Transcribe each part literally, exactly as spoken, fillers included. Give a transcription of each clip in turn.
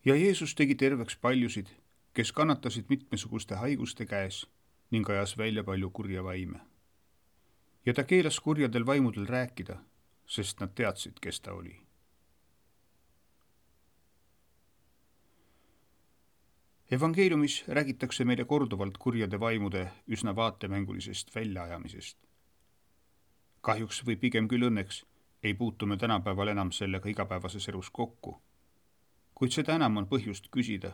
Ja Jeesus tegi terveks paljusid, kes kannatasid mitmesuguste haiguste käes ning ajas välja palju kurja vaime. Ja ta keelas kurjadel vaimudel rääkida, sest nad teadsid, kes ta oli. Evangeeliumis räägitakse meile korduvalt kurjade vaimude üsna vaatemängulisest väljaajamisest. Kahjuks või pigem küll õnneks ei puutu me tänapäeval enam sellega igapäevases elus kokku, kuid seda enam on põhjust küsida,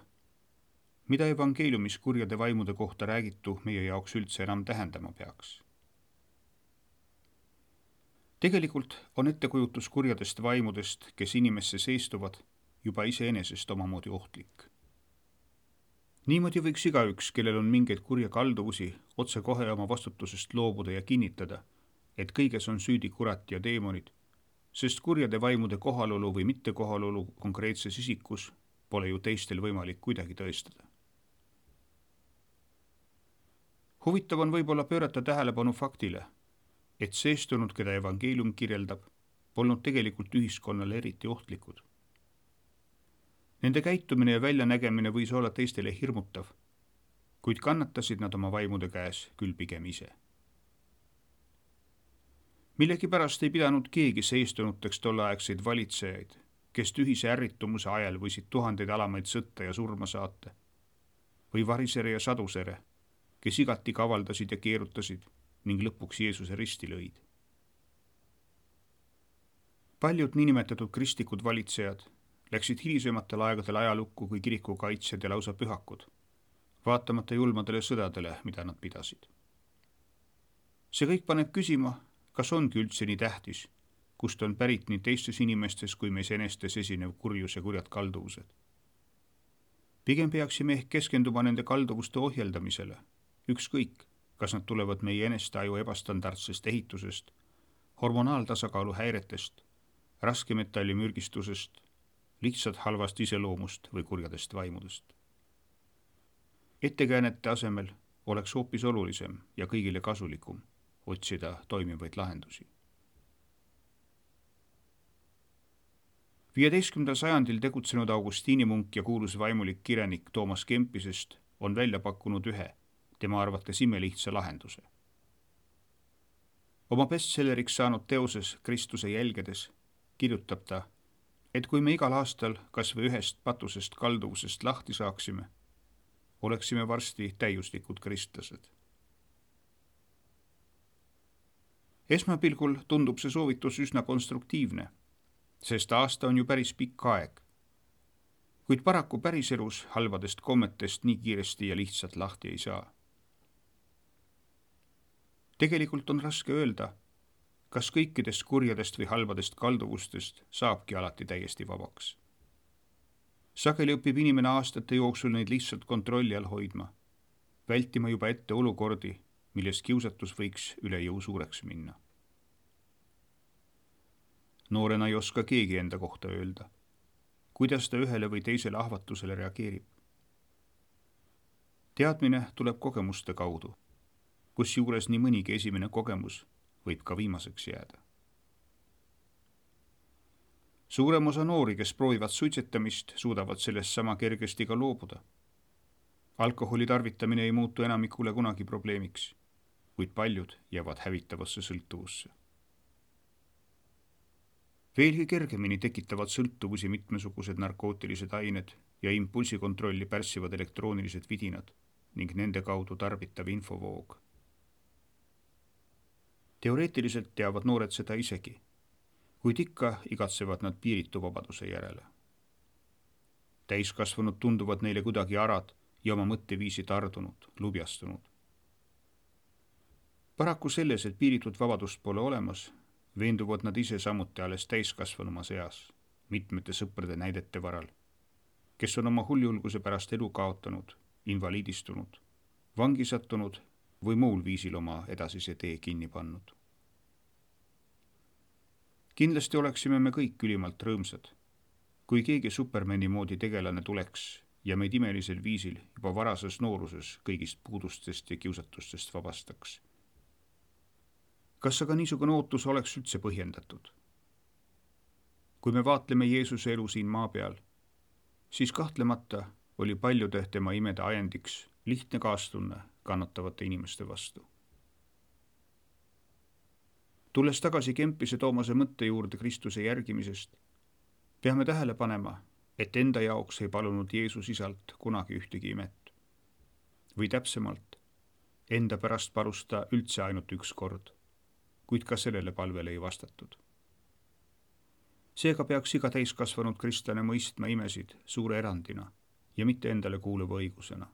mida evangeeliumis kurjade vaimude kohta räägitu meie jaoks üldse enam tähendama peaks. Tegelikult on ettekujutus kurjadest vaimudest, kes inimesse seistuvad, juba iseenesest omamoodi ohtlik. Niimoodi võiks igaüks, kellel on mingeid kurja kalduvusi, otsekohe oma vastutusest loobuda ja kinnitada, et kõiges on süüdi kurat ja teemonid, sest kurjade vaimude kohalolu või mitte kohalolu konkreetses isikus pole ju teistel võimalik kuidagi tõestada. Huvitav on võib-olla pöörata tähelepanu faktile, et seestunud, keda evangeelium kirjeldab, polnud tegelikult ühiskonnale eriti ohtlikud. Nende käitumine ja väljanägemine võis olla teistele hirmutav, kuid kannatasid nad oma vaimude käes küll pigem ise. Millegipärast ei pidanud keegi seistunuteks tolleaegseid valitsejaid, kes tühise ärritumuse ajal võisid tuhandeid alamaid sõtta ja surma saata, või varisere ja sadusere, kes igati kavaldasid ja keerutasid ning lõpuks Jeesuse risti lõid. Paljud niinimetatud kristlikud valitsejad läksid hilisematel aegadel ajalukku kui kiriku kaitsjad ja lausa pühakud, vaatamata julmadele sõdadele, mida nad pidasid. See kõik paneb küsima, kas ongi üldse nii tähtis, kust on pärit nii teistes inimestes kui meis enestes esinev kurjus ja kurjad kalduvused. Pigem peaksime ehk keskenduma nende kalduvuste ohjeldamisele, ükskõik, kas nad tulevad meie eneste aju ebastandardsest ehitusest, hormonaaltasakaalu häiretest, raskemetallimürgistusest, lihtsalt halvast iseloomust või kurjadest vaimudest. Ettekäänete asemel oleks hoopis olulisem ja kõigile kasulikum otsida toimivaid lahendusi. viieteistkümnendal sajandil tegutsenud Augustiini munk ja kuulus vaimulik kirenik Toomas Kempisest on välja pakkunud ühe, tema arvates imelihtsa lahenduse. Oma bestselleriks saanud teoses Kristuse jälgedes kirjutab ta, et kui me igal aastal kas või ühest patusest kalduvusest lahti saaksime, oleksime varsti täiuslikud kristlased. Esmapilgul tundub see soovitus üsna konstruktiivne, sest aasta on ju päris pikk aeg, kuid paraku päriselus halvadest kommetest nii kiiresti ja lihtsalt lahti ei saa. Tegelikult on raske öelda, kas kõikidest kurjadest või halbadest kalduvustest saabki alati täiesti vabaks. Sageli õpib inimene aastate jooksul neid lihtsalt kontrolli all hoidma, vältima juba ette olukordi, milles kiusatus võiks üle jõu suureks minna. Noorena ei oska keegi enda kohta öelda, kuidas ta ühele või teisele ahvatusele reageerib. Teadmine tuleb kogemuste kaudu, kusjuures nii mõnigi esimene kogemus võib ka viimaseks jääda. Suurem osa noori, kes proovivad suitsetamist, suudavad sellest sama kergesti ka loobuda. Alkoholi tarvitamine ei muutu enamikule kunagi probleemiks, kuid paljud jäävad hävitavasse sõltuvusse. Veelgi kergemini tekitavad sõltuvusi mitmesugused narkootilised ained ja impulsikontrolli pärssivad elektroonilised vidinad ning nende kaudu tarbitav infovoog. Teoreetiliselt teavad noored seda isegi, kuid ikka igatsevad nad piiritu vabaduse järele. Täiskasvanud tunduvad neile kuidagi arad ja oma mõtteviisi tardunud, lubjastunud. Paraku selles, et piiritut vabadust pole olemas, veenduvad nad ise samuti alles täiskasvanuma seas, mitmete sõprade näidete varal, kes on oma huljulguse pärast elu kaotanud, invaliidistunud, vangi sattunud või muul viisil oma edasise tee kinni pannud. Kindlasti oleksime me kõik ülimalt rõõmsad, kui keegi Supermani moodi tegelane tuleks ja meid imelisel viisil juba varases nooruses kõigist puudustest ja kiusatustest vabastaks. Kas aga niisugune ootus oleks üldse põhjendatud? Kui me vaatleme Jeesuse elu siin maa peal, siis kahtlemata oli paljude tema imede ajendiks lihtne kaastunne kannatavate inimeste vastu. Tulles tagasi Kempise Toomase mõtte juurde Kristuse järgimisest, peame tähele panema, et enda jaoks ei palunud Jeesus isalt kunagi ühtegi imet. Või täpsemalt, enda pärast palus ta üldse ainult üks kord, kuid ka sellele palvele ei vastatud. Seega peaks iga täiskasvanud kristlane mõistma imesid suure erandina ja mitte endale kuuluva õigusena.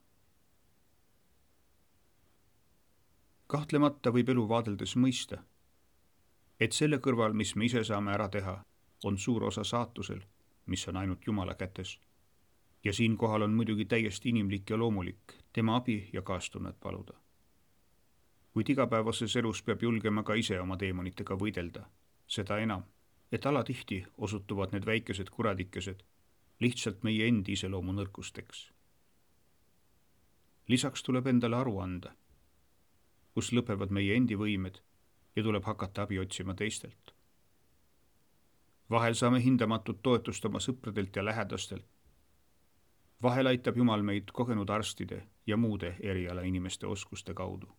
Kahtlemata võib elu vaadeldes mõista, et selle kõrval, mis me ise saame ära teha, on suur osa saatusel, mis on ainult Jumala kätes. Ja siinkohal on muidugi täiesti inimlik ja loomulik tema abi ja kaastunnet paluda. Kuid igapäevases elus peab julgema ka ise oma teemonitega võidelda, seda enam, et alatihti osutuvad need väikesed kuradikesed lihtsalt meie endi iseloomu nõrkusteks. Lisaks tuleb endale aru anda, kus lõpevad meie endi võimed ja tuleb hakata abi otsima teistelt. Vahel saame hindamatut toetust oma sõpradelt ja lähedastelt. Vahel aitab Jumal meid kogenud arstide ja muude eriala inimeste oskuste kaudu.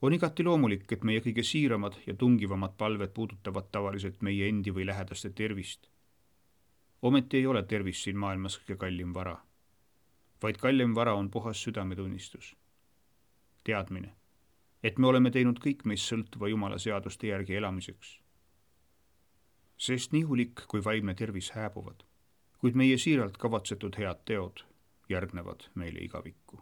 On igati loomulik, et meie kõige siiramad ja tungivamad palved puudutavad tavaliselt meie endi või lähedaste tervist. Ometi ei ole tervis siin maailmas kõige kallim vara, vaid kallim vara on puhas südametunnistus. Teadmine, et me oleme teinud kõik meist sõltuva Jumala seaduste järgi elamiseks. Sest nii hulik kui vaimne tervis hääbuvad, kuid meie siiralt kavatsetud head teod järgnevad meile igavikku.